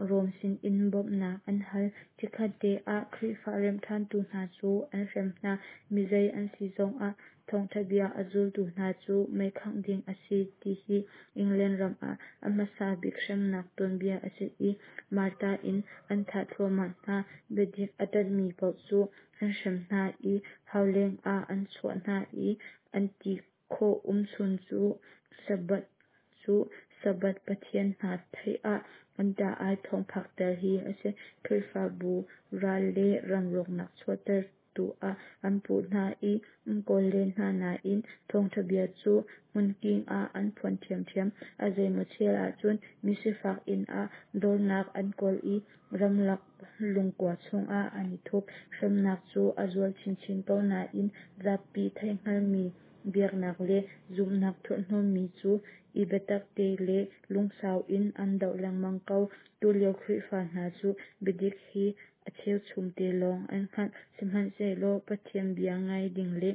Rom sinin bawmhnak an hal. Chikkhatte ah Khrihfa remhṭhantu hna cu an hrem hna. Mizei an si zongah thawngṭha bia a zultu hna cu meikhangh ding a si ti hi England ram ah a hmasa bik hremnak tuanbia a si i martar in an thah thluahmah hna. Biadik a ṭanhmi paoh cu an hrem hna i hauleng ah an chuah hna i an ti khawh umchun cu Sabbath cu Sabbath pathian hna theih ah an ṭah-ai thawng phakter hi a si. Khrihfabu ral le ram rawknak chuahtertu ah an puh hna i an kawl len hna nain thawngṭha bia cu hmunking ah an phuan ṭhiamṭhiam. A zeimaw chel ahcun misifak inn ah dornak an kawl i ramlak lungkua chungah an i thup. Hremnak cu a zual chinchin ko nain zapi theihhngalhmi biaknak le zumhnak thurhhnawmmi cu i biatakte le lungsau in an doh lengmang ko. Tulio Khrihfa hna cu biadik hi a cheuchumte lawng an hngalh. Sihmanhsehlaw Pathian bia ngai ding le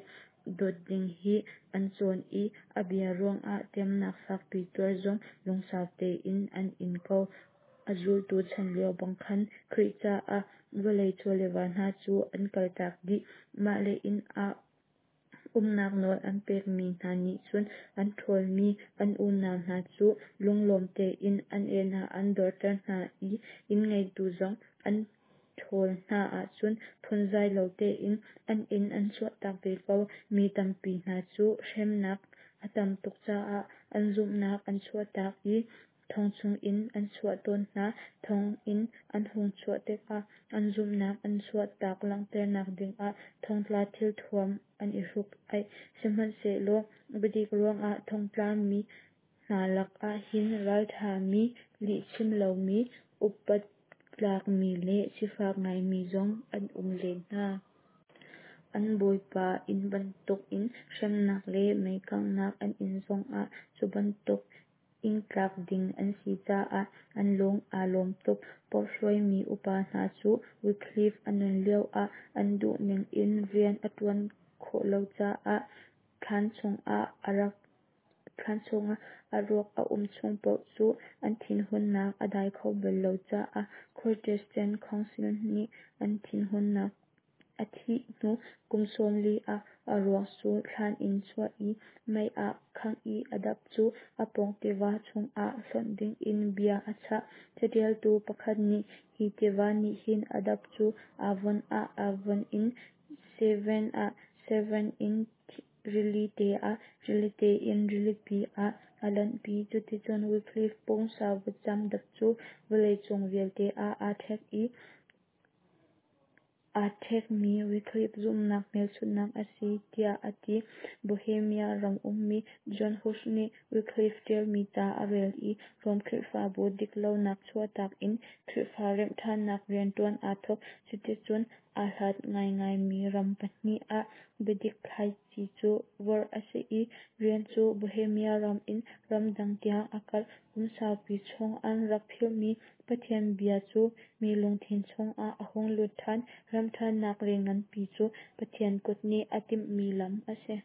dawt ding hi an cawn i a bia ruangah temnak fakpi tuar zong lungsau tein an in ko. A zultu chan lio bang khan Khrih caah vawlei chawleva hna cu an kaltak dih. Mah le inn ah umnak nawl an pekmi hna nih cun an ṭhawlmi an unau hna cu lunglawm tein an inn ah an dorter hna i inn ngeitu zong an ṭhawl hna ahcun phunzai lo tein an inn an chuahtak ve ko. Mi tampi hna cu hremnak a tam tuk caah an zumhnak an chuahtak i thong chungin an chuah tawn hna. Thong in an hung chuah tikah an zumhnak an chuahtak langhternak dingah thongtla thilthuam an i hruk-aih. Sihmanhsehlaw biadik ruangah thongtlami hna lakah hin ralṭhami, lihchim lomi, upat tlakmi le sifak ngaimi zong an um len hna. An bawipa inn bantukin hremnak le meikanghnak an in zongah cu bantuk ingtlak ding an si caah an lung aa lawm tuk. Pope hruaimi upa hna cu Wycliffe a nun lioah an duhning in rian a ṭuan khawh lo caah thlan chungah a rak thlan chungah a ruak a um chung paoh cu an thinhunnak a dai kho bal lo caah Protestant Council nih an thinhunnak A thih hnu kum sawmli ah a ruak cu thlan in chuah i mei ah khangh i a dap cu a pawng tiva chungah hlonh dingin bia a chah. Caṭialtu pakhat nih hi tiva nih hin a dap cu Avon ah, Avon in Severn ah, Severn in rilite ah, rilite in rilipi ah a luanpi. Cuticun Wycliffe pumsa vutcam dap cu vawleicung vialte ah aa ṭhek i aa ṭhekmi Wycliffe zumhnak hmelchunhnak a si, tiah a ti. Bohemia ram ummi John Hus nih Wycliffe ṭialmi ca a rel i Rom Khrihfabu diklonak chuahtak in Khrihfa remhṭhannak rianṭuan aa thawk. Cuticun aa hlat ngaingaimi ram pahnih ah biadik thlaici cu vorh a si i rian cu Bohemia ram in ramdang tiang a karh. Kum saupi chung an rak philhmi Pathian bia cu mi lungthin chungah a hung lut ṭhan. Remhṭhannak rian nganpi cu Pathian kut nih a timhmi lam a si.